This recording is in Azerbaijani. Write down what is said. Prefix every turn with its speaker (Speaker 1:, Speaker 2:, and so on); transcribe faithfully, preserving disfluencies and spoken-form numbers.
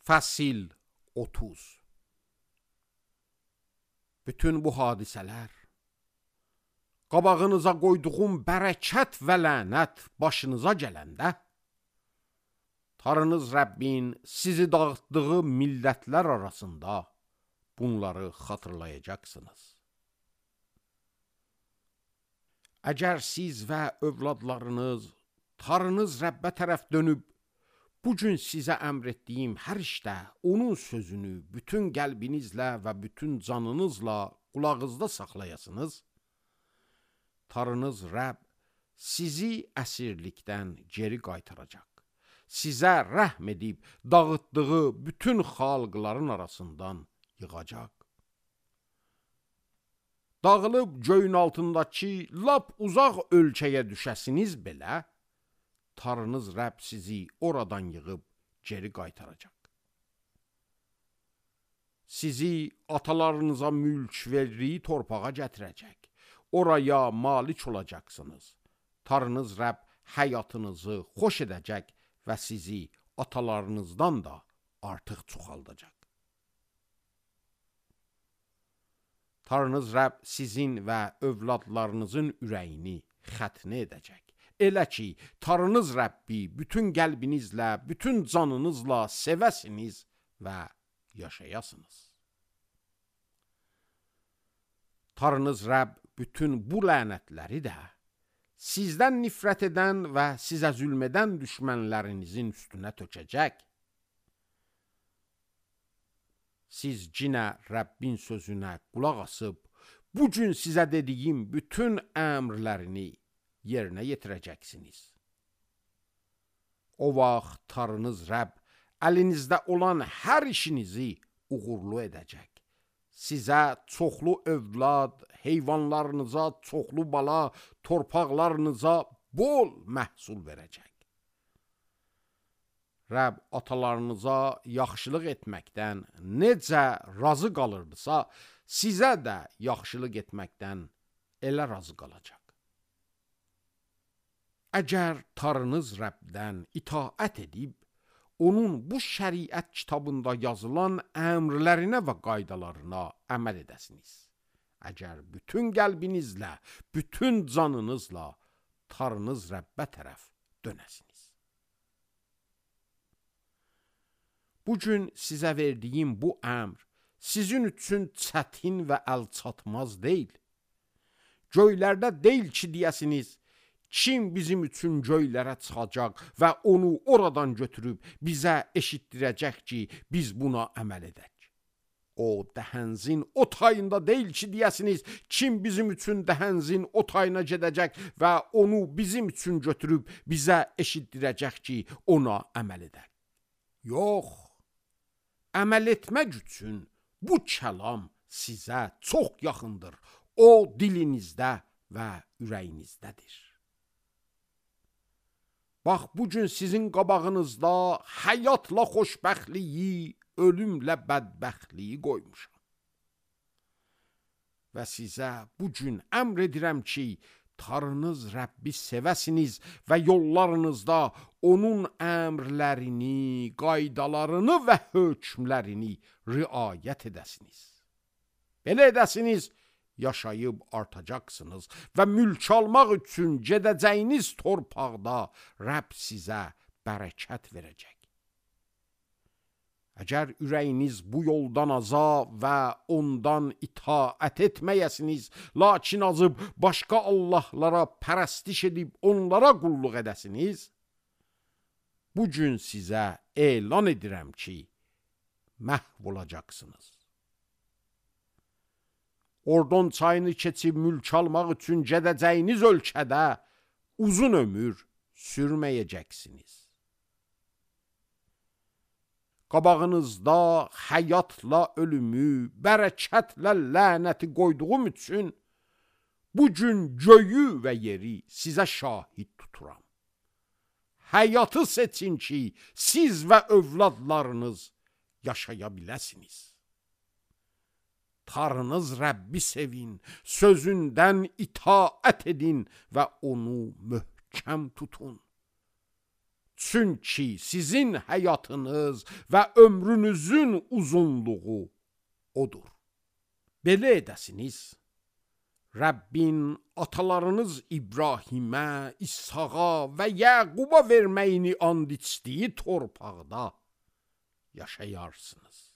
Speaker 1: Fəsil otuz. Bütün bu hadisələr, qabağınıza qoyduğum bərəkət və lənət başınıza gələndə, Tanrınız Rəbbin sizi dağıtdığı millətlər arasında bunları xatırlayacaqsınız. Əgər siz və övladlarınız Tanrınız Rəbbə tərəf dönüb, bugün sizə əmr etdiyim hər işdə onun sözünü bütün qəlbinizlə və bütün canınızla qulağınızda saxlayasınız, Tanrınız Rəbb sizi əsirlikdən geri qaytaracaq. Sizə rəhm edib dağıtdığı bütün xalqların arasından yığacaq. Dağılıb göyün altındakı lap uzaq ölkəyə düşəsiniz belə, Tanrınız Rəbb sizi oradan yığıb geri qaytaracaq. Sizi atalarınıza mülk verdiyi torpağa gətirəcək. Oraya malik olacaqsınız. Tanrınız Rəbb həyatınızı xoş edəcək və sizi atalarınızdan da artıq çoxaldacaq. Tanrınız Rəbb sizin və övladlarınızın ürəyini xətnə edəcək. Elə ki, Tanrınız Rəbbi bütün qəlbinizlə, bütün canınızla sevəsiniz və yaşayasınız. Tanrınız Rəbb bütün bu lənətləri də sizdən nifrət edən və sizə zülm edən düşmənlərinizin üstünə tökəcək. Siz cinə Rəbbin sözünə qulaq asıb, bugün sizə dediyim bütün əmrlərini yerinə yetirəcəksiniz. O vaxt Tanrınız Rəbb əlinizdə olan hər işinizi uğurlu edəcək. Sizə çoxlu övlad, heyvanlarınıza çoxlu bala, torpaqlarınıza bol məhsul verəcək. Rəbb atalarınıza yaxşılıq etməkdən necə razı qalırdısa, sizə də yaxşılıq etməkdən elə razı qalacaq. Əgər Tanrınız Rəbbdən itaət edib, onun bu şəriət kitabında yazılan əmrlərinə və qaydalarına əməl edəsiniz. Əgər bütün qəlbinizlə, bütün canınızla Tanrınız Rəbbə tərəf dönəsiniz. Bugün sizə verdiyim bu əmr sizin üçün çətin və əlçatmaz deyil. Göylərdə deyil ki, deyəsiniz, kim bizim üçün göylərə çıxacaq və onu oradan götürüb bizə eşitdirəcək ki, biz buna əməl edək. O dəhənzin o tayında deyil ki, deyəsiniz, kim bizim üçün dəhənzin o tayına gedəcək və onu bizim üçün götürüb bizə eşitdirəcək ki, ona əməl edək. Yox, əməl etmək üçün bu kəlam sizə çox yaxındır. O dilinizdə və ürəyinizdədir. Bax, bugün sizin qabağınızda həyatla xoşbəxtliyi, ölümlə bədbəxtliyi qoymuşam. Və sizə bugün əmr edirəm ki, Tanrınız Rəbbi sevəsiniz və yollarınızda onun əmrlərini, qaydalarını və hökmlərini riayət edəsiniz. Belə edəsiniz, yaşayıb artacaqsınız və mülk almaq üçün gedəcəyiniz torpaqda Rəbb sizə bərəkət verəcək. Əgər ürəyiniz bu yoldan aza və ondan itaət etməyəsiniz, lakin azıb başqa Allahlara pərəstiş edib onlara qulluq edəsiniz, bugün sizə elan edirəm ki, məhv olacaqsınız. Ordon çayını keçib mülk almaq üçün gedəcəyiniz ölkədə uzun ömür sürməyəcəksiniz. Qabağınızda həyatla ölümü, bərəkətlə lənəti qoyduğum üçün bugün göyü və yeri sizə şahid tuturam. Həyatı seçin ki, siz və övladlarınız yaşaya biləsiniz. Tanrınız Rəbbi sevin, sözündən itaət edin və onu möhkəm tutun. Çünki sizin həyatınız və ömrünüzün uzunluğu odur. Belə edəsiniz, Rəbbin atalarınız İbrahimə, İshaqa və Yaquba verməyini and içdiyi torpaqda yaşayarsınız.